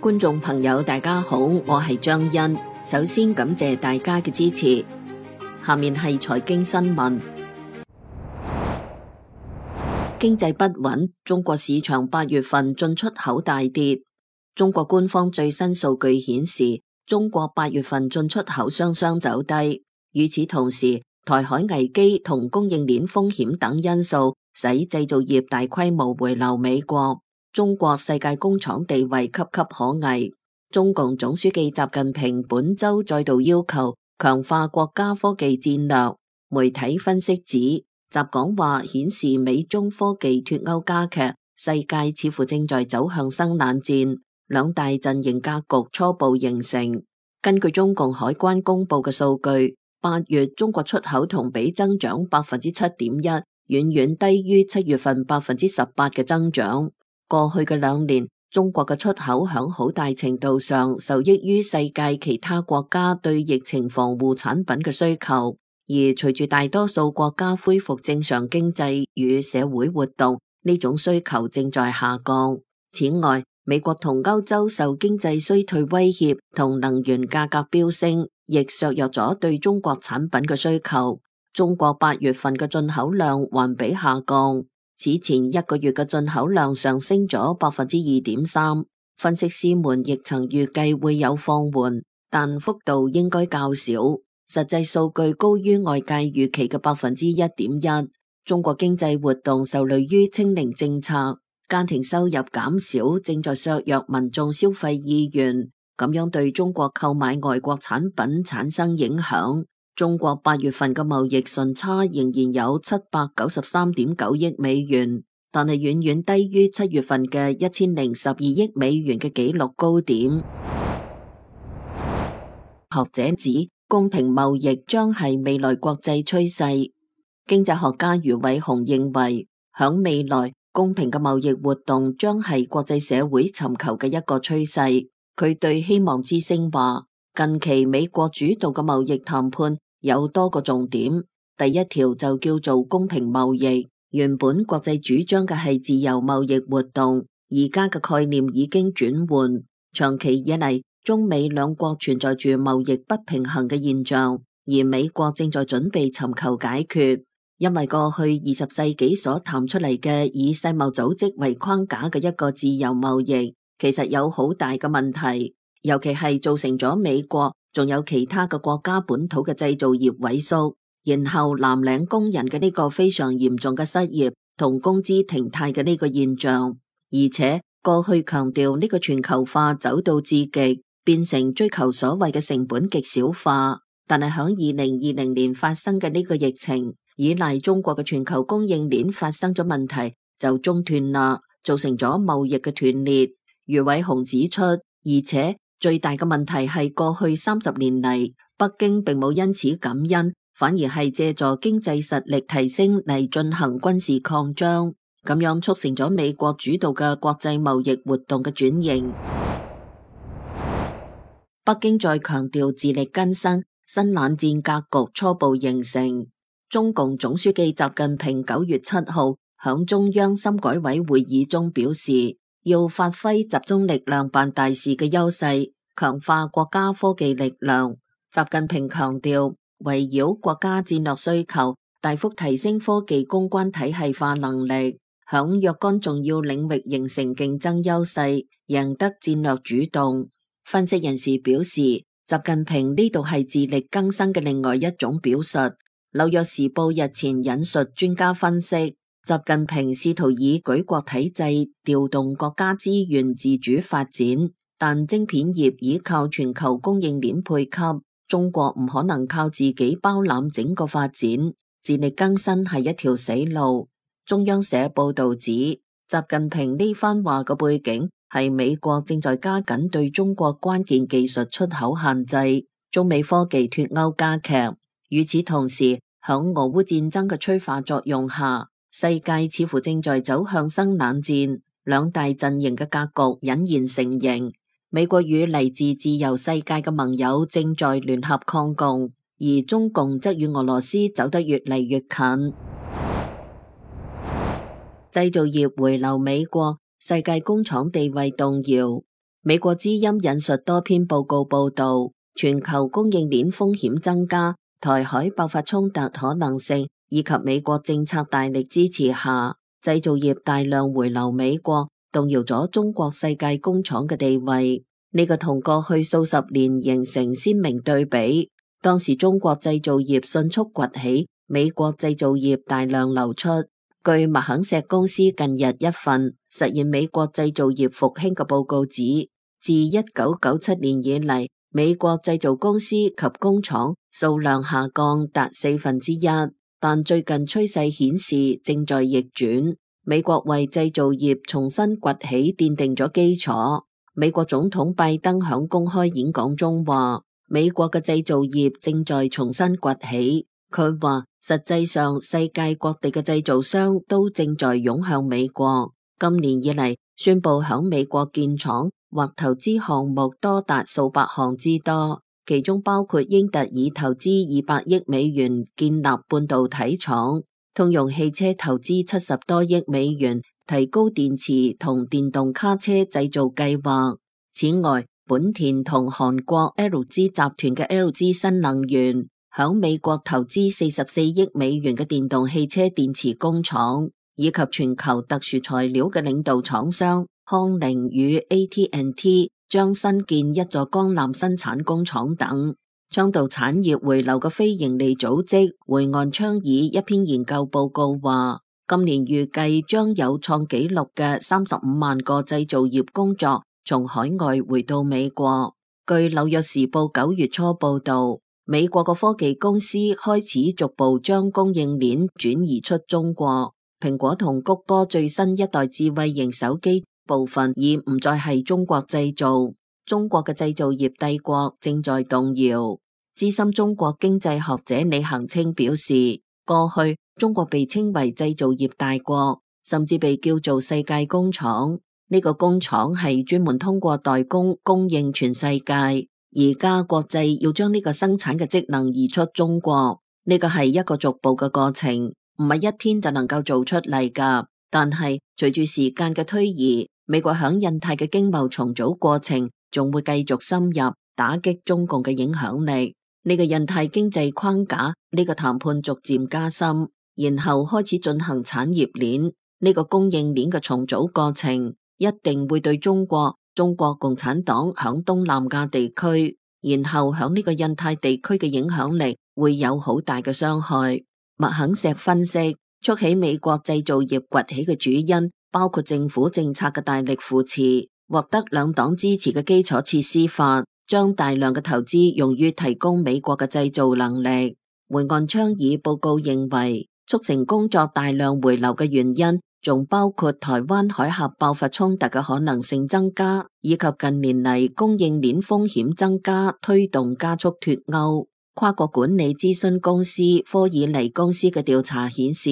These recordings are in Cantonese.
觀眾朋友大家好，我係張欣，首先感謝大家嘅支持。下面係財經新聞。經濟不穩，中國市場8月份進出口大跌。中國官方最新數據顯示，中國8月份進出口雙雙走低。與此同時，台海危機同供應鏈風險等因素，使製造業大規模回流美國。中國世界工廠地位岌岌可危。中共總書記習近平本周再度要求強化國家科技戰略。媒體分析指，習講話顯示美中科技脫鈎加劇，世界似乎正在走向生冷戰，兩大陣營格局初步形成。根據中共海關公布嘅數據，8月中國出口同比增長7.1%，遠遠低於7月份18%嘅增長。過去嘅2年，中國嘅出口響好大程度上受益於世界其他國家對疫情防護產品嘅需求，而隨住大多數國家恢復正常經濟與社會活動，呢種需求正在下降。此外，美國同歐洲受經濟衰退威脅同能源價格飆升，亦削弱咗對中國產品嘅需求。中國8月份嘅進口量環比下降。此前1個月嘅進口量上升咗2.3%，分析師們亦曾預計會有放緩，但幅度應該較少。實際數據高於外界預期嘅1.1%。中國經濟活動受累於清零政策，家庭收入減少，正在削弱民眾消費意願，咁樣對中國購買外國產品產生影響。中國8月份嘅貿易順差仍然有793.9億美元，但係遠遠低於7月份嘅1012億美元嘅紀錄高點。學者指，公平貿易將係未來國際趨勢。經濟學家余偉雄認為，響未來公平嘅貿易活動將係國際社會尋求嘅一個趨勢。佢對希望之聲話，近期美國主導嘅貿易談判有多個重點，第一條就叫做公平貿易。原本國際主張嘅係自由貿易活動，而家嘅概念已經轉換。長期以嚟，中美兩國存在住貿易不平衡嘅現象，而美國正在準備尋求解決。因為過去20世紀所談出嚟嘅以世貿組織為框架嘅一個自由貿易，其實有好大嘅問題，尤其係造成咗美國仲有其他嘅國家本土嘅製造業萎縮，然後藍領工人嘅呢個非常嚴重嘅失業同工資停貸嘅呢個現象，而且過去強調呢個全球化走到至極，變成追求所謂嘅成本極小化，但係響2020年發生嘅呢個疫情，依賴中國嘅全球供應鏈發生咗問題就中斷啦，造成咗貿易嘅斷裂。余偉雄指出，而且最大嘅問題係過去30年嚟，北京並冇因此感恩，反而係借助經濟實力提升嚟進行軍事擴張，咁樣促成咗美國主導嘅國際貿易活動嘅轉型。北京再強調自力更生，新冷戰格局初步形成。中共總書記習近平9月7號響中央深改委會議中表示，要發揮集中力量辦大事嘅優勢，強化國家科技力量。習近平強調，圍繞國家戰略需求，大幅提升科技攻關體系化能力，響若干重要領域形成競爭優勢，贏得戰略主動。分析人士表示，習近平呢度係自力更生嘅另外一種表述。紐約時報日前引述專家分析，習近平試圖以舉國體制調動國家資源自主發展，但晶片業依靠全球供應鏈配給，中國唔可能靠自己包攬整個發展，自力更生係一條死路。中央社報道指，習近平呢番話嘅背景係美國正在加緊對中國關鍵技術出口限制，中美科技脫鈎加劇。與此同時，響俄烏戰爭嘅催化作用下，世界似乎正在走向生冷戰，兩大陣營嘅格局隱然成形。美國與嚟自自由世界嘅盟友正在聯合抗共，而中共則與俄羅斯走得越嚟越近。製造業回流美國，世界工廠地位動搖。美國之音引述多篇報告報道，全球供應鏈風險增加，台海爆發衝突可能性，以及美國政策大力支持下，製造業大量回流美國，動搖咗中國世界工廠嘅地位。呢個同過去數十年形成鮮明對比。當時中國製造業迅速崛起，美國製造業大量流出。據麥肯錫公司近日一份實現美國製造業復興嘅報告指，自1997年以嚟，美國製造公司及工廠數量下降達1/4，但最近趨勢顯示正在逆轉。美國為製造業重新崛起奠定咗基礎。美國總統拜登響公開演講中話，美國嘅製造業正在重新崛起。佢話，實際上世界各地嘅製造商都正在湧向美國。今年以嚟，宣布響美國建廠或投資項目多達數百項之多，其中包括英特爾投資200億美元建立半導體廠，通用汽車投資70多億美元提高電池同電動卡車製造計劃。此外，本田同韓國 LG 集團嘅 LG 新能源響美國投資44億美元嘅電動汽車電池工廠，以及全球特殊材料嘅領導廠商康寧與 AT&T 將新建一座鋼纜生產工廠等。倡導產業回流嘅非營利組織回岸倡議一篇研究報告話，今年預計將有創紀錄嘅35萬個製造業工作從海外回到美國。據紐約時報9月初報道，美國嘅科技公司開始逐步將供應鏈轉移出中國。蘋果同谷歌最新一代智慧型手機部分已唔再係中國製造，中國嘅製造業帝國正在動搖。資深中國經濟學者李恒清表示，過去中國被稱為製造業大國，甚至被叫做世界工廠。呢個工廠係專門通過代工供應全世界。而家國際要將呢個生產嘅職能移出中國，呢個係一個逐步嘅過程，唔係一天就能夠做出嚟㗎。但係隨住時間嘅推移，美國響印太嘅經貿重組過程仲會繼續深入打擊中共嘅影響力。呢個印太經濟框架，呢個談判逐漸加深，然後開始進行產業鏈，呢個供應鏈嘅重組過程一定會對中國共產黨響東南亞地區，然後響呢個印太地區嘅影響力會有好大嘅傷害。麥肯錫分析，促起美國製造業崛起嘅主因包括政府政策嘅大力扶持，獲得兩黨支持嘅基礎設施法，將大量嘅投資用於提供美國嘅製造能力。回岸倡議報告認為，促成工作大量回流嘅原因仲包括台灣海峽爆發衝突嘅可能性增加，以及近年嚟供應鏈風險增加，推動加速脫歐。跨國管理諮詢公司科爾尼公司嘅調查顯示，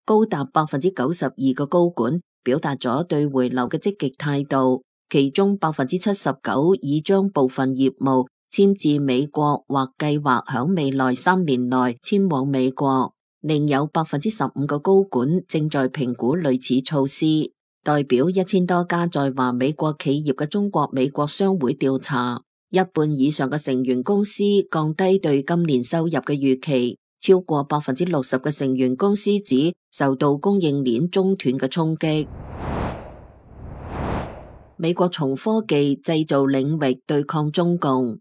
高達92%嘅高管表達咗對回流嘅積極態度，其中79%已將部分業務遷至美國或計劃響未來3年內遷往美國。另有15%嘅高管正在評估類似措施。代表1000多家在華美國企業嘅中國美國商會調查，一半以上嘅成員公司降低對今年收入嘅預期，超過60%嘅成員公司指受到供應鏈中斷嘅衝擊。美國從科技製造領域對抗中共，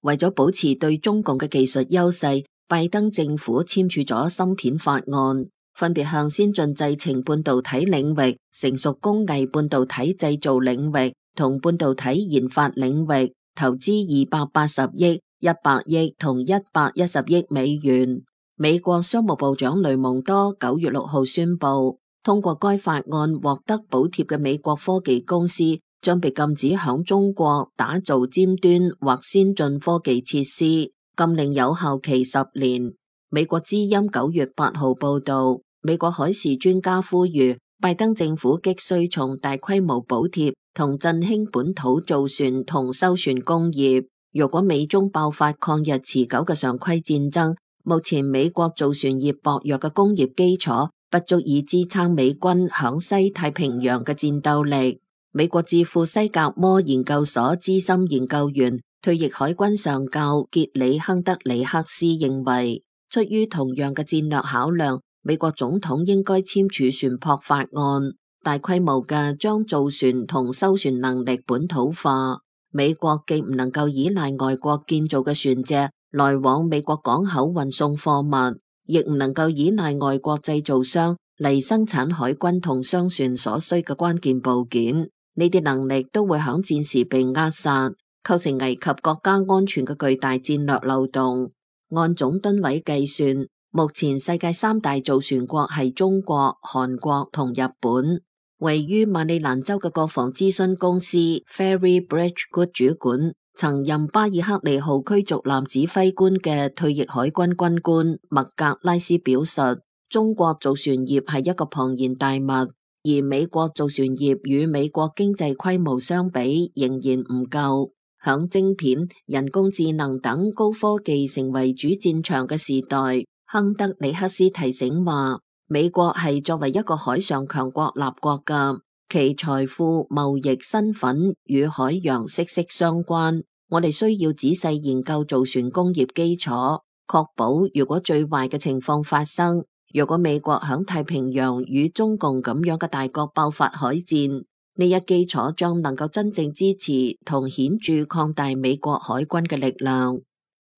為咗保持對中共嘅技術優勢，拜登政府簽署咗芯片法案，分別向先進製程半導體領域、成熟工藝半導體製造領域同半導體研發領域投資280億、100億同110億美元。美國商務部長雷蒙多9月6號宣布，通過該法案獲得補貼嘅美國科技公司將被禁止響中國打造尖端或先進科技設施。禁令有效期10年。美國之音9月8號報道，美國海事專家呼籲拜登政府急需從大規模補貼同振興本土造船同修船工業。如果美中爆發抗日持久嘅常規戰爭，目前美國造船業薄弱嘅工業基礎不足以支撐美軍響西太平洋嘅戰鬥力。美國智庫西格摩研究所資深研究員、退役海軍上校傑里亨德里克斯認為，出於同樣嘅戰略考量，美國總統應該簽署船舶法案，大規模嘅將造船同修船能力本土化。美國既唔能夠依賴外國建造嘅船隻來往美國港口運送貨物，亦唔能夠依賴外國製造商嚟生產海軍同商船所需嘅關鍵部件。呢啲能力都會響戰時被扼殺，構成危及國家安全嘅巨大戰略漏洞。按總噸位計算，目前世界三大造船國係中國、韓國同日本。位於馬里蘭州嘅國防諮詢公司 Ferry Bridgegood 主管，曾任巴爾克利號驅逐艦指揮官嘅退役海軍軍官麥格拉斯表述，中國造船業係一個龐然大物，而美國造船業與美國經濟規模相比仍然唔夠。響晶片、人工智能等高科技成為主戰場嘅時代，亨德里克斯提醒話，美國係作為一個海上強國立國㗎，其財富、貿易、身份與海洋息息相關。我哋需要仔細研究造船工業基礎，確保如果最壞嘅情況發生，如果美國響太平洋與中共咁樣嘅大國爆發海戰，呢一基礎將能夠真正支持同顯著擴大美國海軍嘅力量。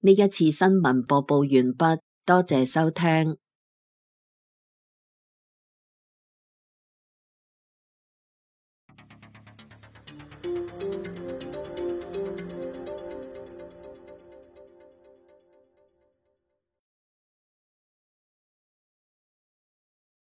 呢一次新聞播報完畢，多謝收聽。